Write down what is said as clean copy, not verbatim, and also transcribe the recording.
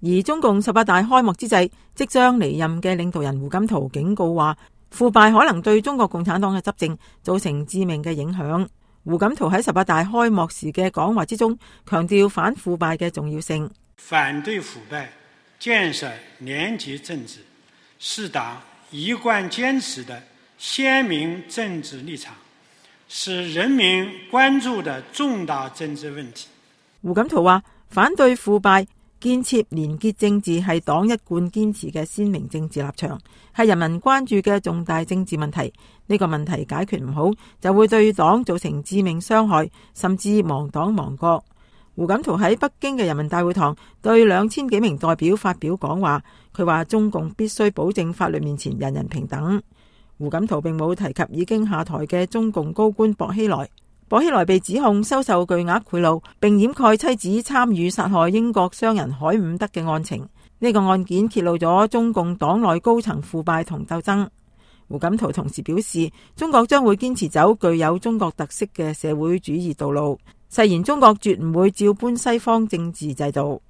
而中共18大開幕之際，即將離任嘅領導人胡錦濤警告話，腐敗可能對中國共產黨嘅執政造成致命嘅影響。胡錦濤喺18大開幕時嘅講話之中，強調反腐敗嘅重要性。反對腐敗，建設廉潔政治，是黨一貫堅持的鮮明政治立場，是人民關注的重大政治問題。胡錦濤話，反對腐敗、建設廉潔政治係黨一貫堅持嘅鮮明政治立場，係人民關注嘅重大政治問題。呢個問題解決唔好，就會對黨造成致命傷害，甚至亡黨亡國。胡錦濤喺北京嘅人民大會堂對2000幾名代表發表講話，佢話中共必須保證法律面前人人平等。胡錦濤並冇提及已經下台嘅中共高官薄熙來。薄熙來被指控收受巨額賄賂，並掩蓋妻子參與殺害英國商人海伍德嘅案情。呢個案件揭露咗中共黨內高層腐敗同鬥爭。胡錦濤同時表示，中國將會堅持走具有中國特色嘅社會主義道路，誓言中國絕唔會照搬西方政治制度。